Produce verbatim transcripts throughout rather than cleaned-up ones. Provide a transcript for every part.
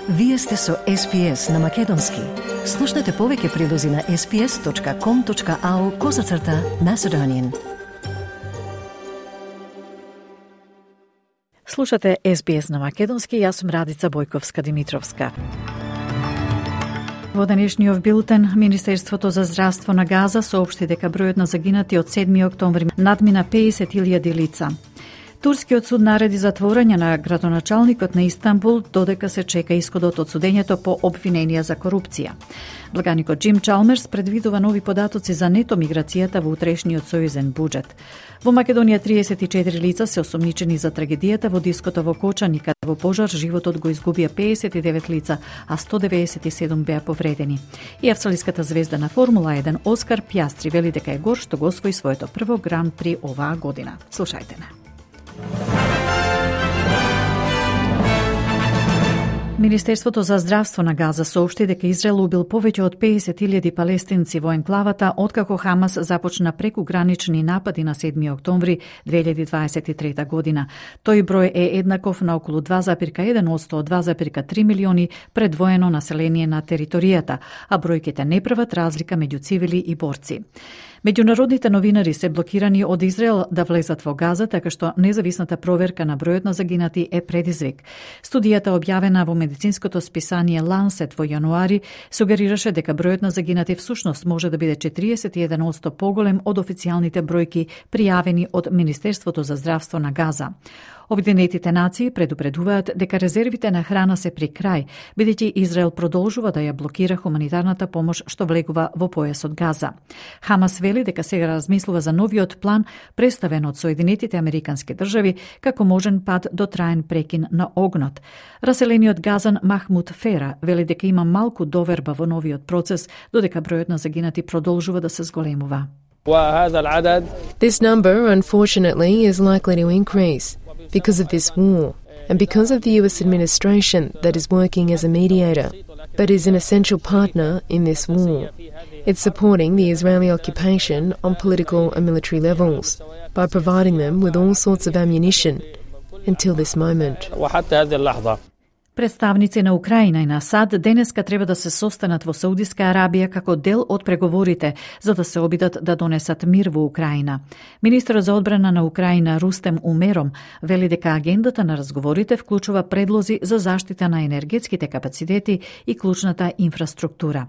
Вие сте со Ес Би Ес на Македонски. Слушнете повеќе прилози на ес би ес точка ком точка ау козацрта Macedonian. Слушате Ес Би Ес на Македонски, јас сум Радица Бојковска-Димитровска. Во денешниот билтен, Министерството за здравство на Газа соопшти дека бројот на загинати од седми октомври надмина песет илјади лица. Турскиот суд нареди затворање на градоначалникот на Истанбул додека се чека исходот од судењето по обвиненија за корупција. Благаникот Џим Чалмерс предвидува нови податоци за нето миграцијата во утрешниот сојузен буџет. Во Македонија триесет и четири лица се осомничени за трагедијата во диското во Кочани, каде во пожар животот го изгубија песет и девет лица, а сто деветдесет и седум беа повредени. И австралиската звезда на Формула еден Оскар Пјастри вели дека е гор што го освои своето прво гран при оваа година. Слушајте не. Министерството за здравство на Газа соопшти дека Израел убил повеќе од песет илјади палестинци во енклавата откако Хамас започна прекугранични напади на седми октомври две илјади дваесет и трета година. Тој број е еднаков на околу два зарез еден одсто од два зарез три милиони предвоено население на територијата, а бројките не прават разлика меѓу цивили и борци. Меѓународните новинари се блокирани од Израел да влезат во Газа, така што независната проверка на бројот на загинати е предизвик. Студијата објавена во медицинското списание Lancet во јануари сугерираше дека бројот на загинати всушност може да биде четириесет и еден одсто поголем од официјалните бројки пријавени од Министерството за здравство на Газа. Обединетите нации предупредуваат дека резервите на храна се при крај, бидејќи Израел продолжува да ја блокира хуманитарната помош што влегува во појасот Газа. Хамас вели дека сега размислува за новиот план представен од Соединетите Американски држави како можен пат до траен прекин на огнот. Раселениот Газан Махмуд Фера вели дека има малку доверба во новиот процес, додека бројот на загинати продолжува да се зголемува. This number, unfortunately, is likely to increase because of this war and because of the U S administration that is working as a mediator, but is an essential partner in this war. It's supporting the Israeli occupation on political and military levels by providing them with all sorts of ammunition until this moment. Представници на Украина и на САД денеска треба да се состанат во Саудиска Арабија како дел од преговорите за да се обидат да донесат мир во Украина. Министерот за одбрана на Украина Рустем Умером вели дека агендата на разговорите вклучува предлози за заштита на енергетските капацитети и клучната инфраструктура.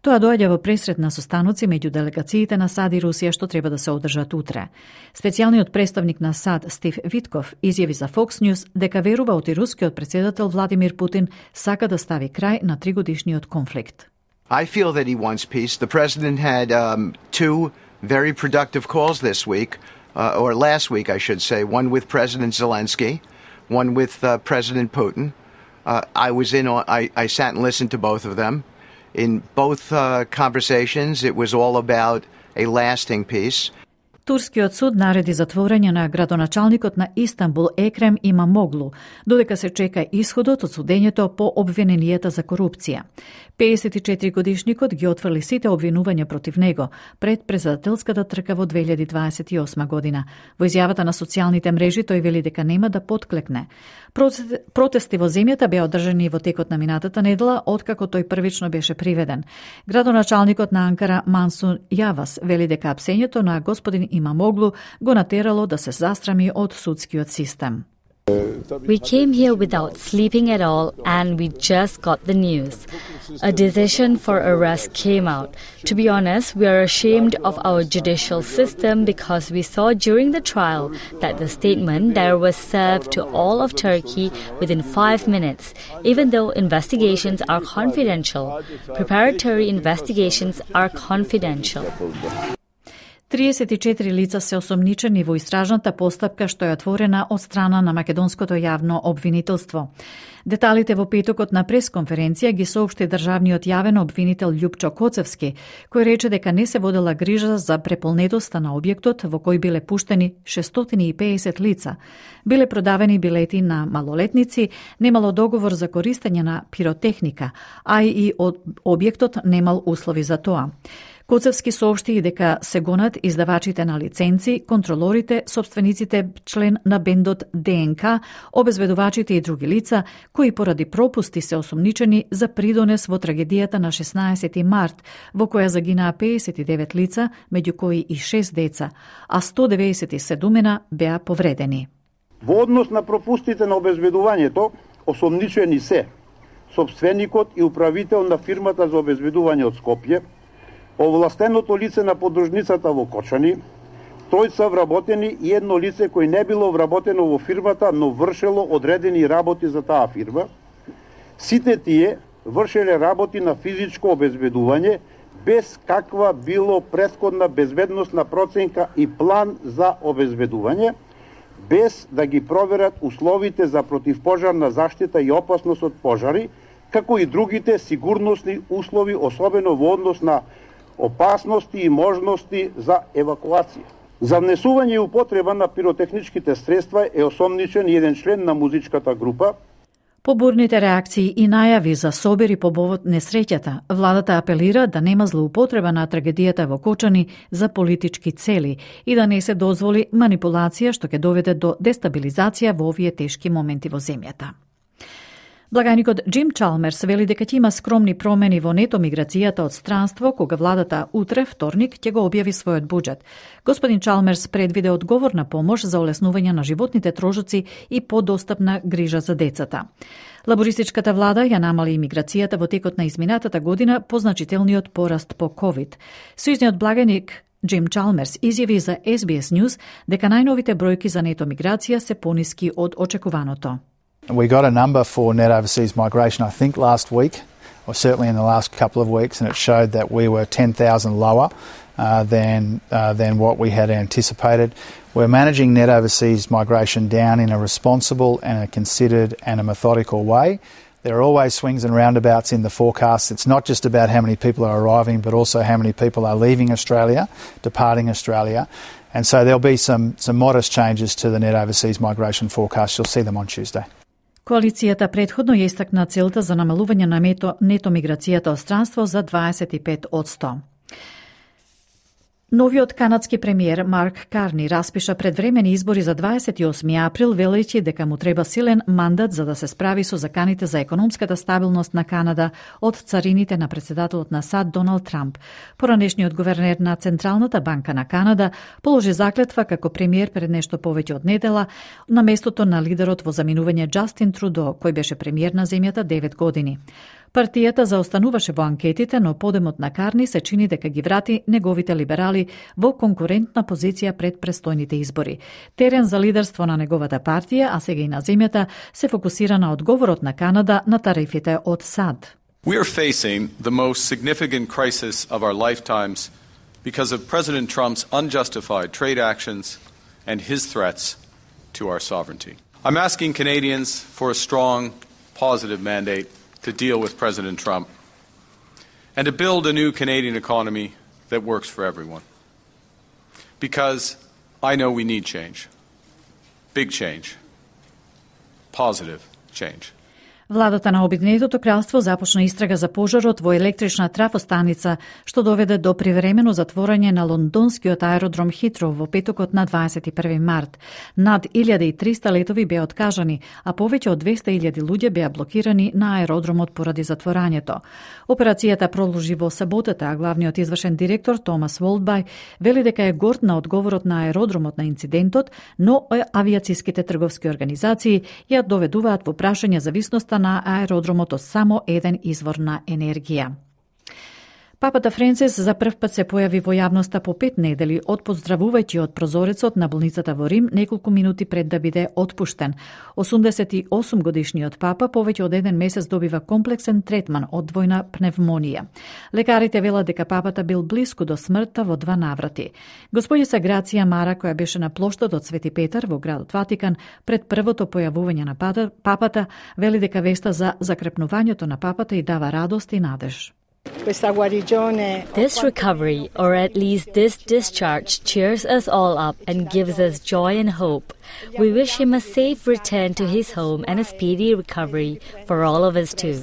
Тоа доаѓа во пресрет на состаноци меѓу делегациите на САД и Русија што треба да се одржат утре. Специјалниот представник на САД Стив Витков изјави за Fox News дека верува оти рускиот председател Владимир Путин сака да стави крај на тригодишниот конфликт. I feel that he wants peace. The president had um, two very productive calls this week, uh, or last week I should say, one with President Zelensky, one with uh, President Putin. Uh, I was in on, I, I sat and listened to both of them. In both uh, conversations, it was all about a lasting peace. Турскиот суд нареди затворање на градоначалникот на Истанбул Екрем Имамоглу, додека се чека исходот од судењето по обвиненијата за корупција. педесет и четири годишникот ги отфрли сите обвинувања против него пред председателската трка во две илјади дваесет и осма година. Во изјавата на социјалните мрежи тој вели дека нема да потклекне. Протести во земјата беа одржани во текот на минатата недела, откако тој првично беше приведен. Градоначалникот на Анкара Мансур Јавас вели дека апсењето на господин Имамоглу го натерало да се застрами од судскиот систем. We came here without sleeping at all and we just got the news. A decision for arrest came out. To be honest, we are ashamed of our judicial system because we saw during the trial that the statement there was served to all of Turkey within five minutes, even though investigations are confidential. Preparatory investigations are confidential. триесет и четири лица се осомничени во истражната постапка што е отворена од страна на македонското јавно обвинителство. Деталите во петокот на пресконференција ги соопшти државниот јавен обвинител Љупчо Коцевски, кој рече дека не се водела грижа за преполнетоста на објектот во кој биле пуштени шестстотини и педесет лица. Биле продавени билети на малолетници, немало договор за користење на пиротехника, а и објектот немал услови за тоа. Коцевски соопшти и дека се гонат издавачите на лиценци, контролорите, собствениците член на бендот ДНК, обезбедувачите и други лица, кои поради пропусти се осомничени за придонес во трагедијата на шеснаесети март, во која загинаа пеесет и девет лица, меѓу кои и шест деца, а сто деведесет и седум беа повредени. Во однос на пропустите на обезбедувањето, осомничени се сопственикот и управител на фирмата за обезбедување од Скопје, овластеното лице на подружницата во Кочани, тројца вработени и едно лице кој не било вработено во фирмата, но вршело одредени работи за таа фирма. Сите тие вршеле работи на физичко обезбедување без каква било претходна безбедносна проценка и план за обезбедување, без да ги проверат условите за противпожарна заштита и опасност од пожари, како и другите сигурносни услови, особено во однос на опасности и можности за евакуација. За внесување и употреба на пиротехничките средства е осомничен еден член на музичката група. По бурните реакции и најави за собери по повод несреќата, владата апелира да нема злоупотреба на трагедијата во Кочани за политички цели и да не се дозволи манипулација што ќе доведе до дестабилизација во овие тешки моменти во земјата. Благајникот Джим Чалмерс вели дека ќе има скромни промени во нето миграцијата од странство кога владата утре, вторник, ќе го објави својот буџет. Господин Чалмерс предвиде одговорна помош за олеснување на животните трошоци и подостапна грижа за децата. Лабористичката влада ја намали имиграцијата во текот на изминатата година по значителниот пораст по ковид. Сојузниот благајник Джим Чалмерс изјави за Ес Би Ес News дека најновите бројки за нето миграција се пониски од очекуваното. We got a number for net overseas migration, I think, last week, or certainly in the last couple of weeks, and it showed that we were ten thousand lower uh, than uh, than what we had anticipated. We're managing net overseas migration down in a responsible and a considered and a methodical way. There are always swings and roundabouts in the forecast. It's not just about how many people are arriving, but also how many people are leaving Australia, departing Australia. And so there'll be some, some modest changes to the net overseas migration forecast. You'll see them on Tuesday. Коалицијата претходно ја истакна целта за намалување на нето, нето миграцијата од странство за дваесет и пет одсто. Новиот канадски премиер Марк Карни распиша предвремени избори за дваесет и осми април, велејќи дека му треба силен мандат за да се справи со заканите за економската стабилност на Канада од царините на председателот на САД Доналд Трамп. Поранешниот гувернер на Централната банка на Канада положи заклетва како премиер пред нешто повеќе од недела на местото на лидерот во заминување Џастин Трудо, кој беше премиер на земјата девет години. Партијата заостануваше во анкетите, но подемот на Карни се чини дека ги врати неговите либерали во конкурентна позиција пред престојните избори. Терен за лидерство на неговата партија, а сега и на земјата, се фокусира на одговорот на Канада на тарифите од САД. We are facing the most significant crisis of our lifetimes because of President Trump's unjustified trade actions and his threats to our sovereignty. I'm asking Canadians for a strong, positive mandate to deal with President Trump and to build a new Canadian economy that works for everyone. Because I know we need change. Big change. Positive change. Владата на Обединетото кралство започна истрага за пожарот во електрична трафостаница, што доведе до привремено затворање на лондонскиот аеродром Хитроу во петокот на дваесет и први март. Над илјада и триста летови беа откажани, а повеќе од двесте илјади луѓе беа блокирани на аеродромот поради затворањето. Операцијата продолжи во саботата, а главниот извршен директор Томас Волдбај вели дека е горд на одговорот на аеродромот на инцидентот, но авиациските трговски организации ја доведуваат во прашање зависноста на аеродромот од само еден извор на енергија. Папата Френсис за прв пат се појави во јавноста по пет недели од поздравувајќи од прозорецот на болницата во Рим неколку минути пред да биде отпуштен. осумдесет и осум годишниот папа повеќе од еден месец добива комплексен третман од двојна пневмонија. Лекарите велат дека папата бил блиску до смртта во два наврати. Господица Грација Мара, која беше на плоштадот Свети Петар во градот Ватикан пред првото појавување на папата, вели дека веста за закрепнувањето на папата и дава радост и надеж. This recovery, or at least this discharge, cheers us all up and gives us joy and hope. We wish him a safe return to his home and a speedy recovery for all of us too.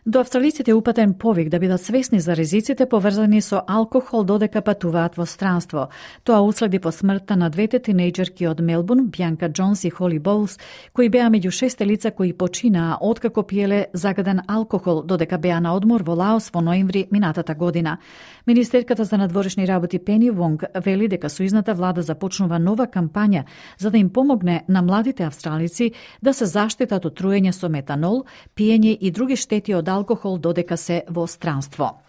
До австралиците е упатен повик да бидат свесни за ризиците поврзани со алкохол додека патуваат во странство. Тоа уследи по смртта на двете тинејџерки од Мелбурн, Бјанка Џонс и Холи Боулс, кои беа меѓу шесте лица кои починаа откако пиеле загаден алкохол додека беа на одмор во Лаос во ноември минатата година. Министерката за надворешни работи Пени Вонг вели дека сојузната влада започнува нова кампања за да им помогне на младите австралици да се заштитат од труење со метанол, пиење и други штети од алкохол додека се во странство.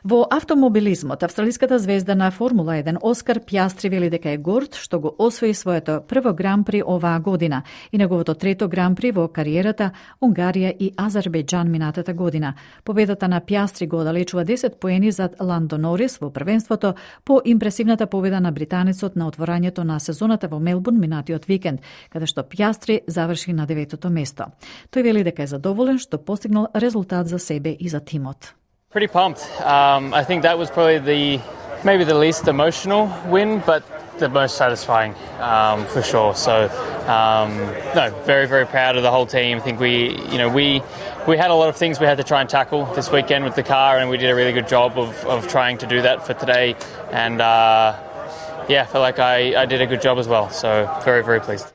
Во автомобилизмот, австралиската звезда на Формула еден Оскар Пјастри вели дека е горд што го освои своето прво гран-при оваа година и неговото трето гран-при во кариерата Унгарија и Азербејџан минатата година. Победата на Пјастри го оддалечува десет поени зад Ландо Норис во првенството по импресивната победа на британецот на отворањето на сезоната во Мелбурн минатиот викенд, каде што Пјастри заврши на деветото место. Тој вели дека е задоволен што постигнал резултат за себе и за тимот. Pretty pumped. Um, I think that was probably the maybe the least emotional win, but the most satisfying um, for sure. So, um, no, very very proud of the whole team. I think we, you know, we we had a lot of things we had to try and tackle this weekend with the car, and we did a really good job of of trying to do that for today. And uh, yeah, I feel like I, I did a good job as well. So, very very pleased.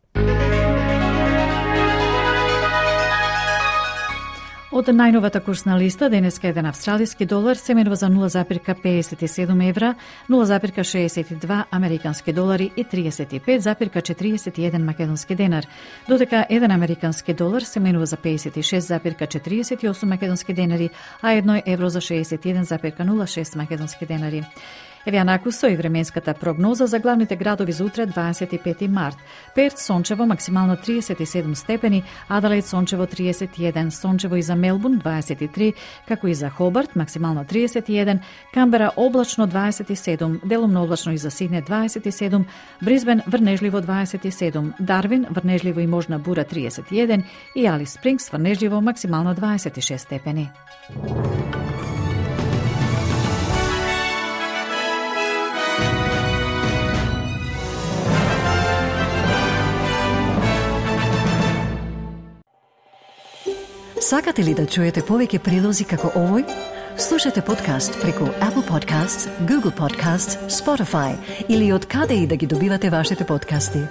Од најновата курсна листа, денеска еден австралиски долар се менува за нула запирка педесет и седум евра, нула запирка шеесет и два американски долари и триесет и пет запирка четириесет и еден македонски денар, додека еден американски долар се менува за педесет и шест запирка четириесет и осум македонски денари, а едно евро за шеесет и еден запирка нула шест македонски денари. Еве накусо и временската прогноза за главните градови за утре дваесет и пети март. Перт сончево максимално триесет и седум степени, Аделаид сончево триесет и еден, сончево и за Мелбурн дваесет и три, како и за Хобарт максимално триесет и еден, Камбера облачно дваесет и седум, делумно облачно и за Сидне дваесет и седум, Брисбен врнежливо дваесет и седум, Дарвин врнежливо и можна бура триесет и еден и Алис Спрингс врнежливо максимално дваесет и шест степени. Сакате ли да чуете повеќе прилози како овој? Слушате подкаст преку Apple Podcasts, Google Podcasts, Spotify или од каде и да ги добивате вашите подкасти.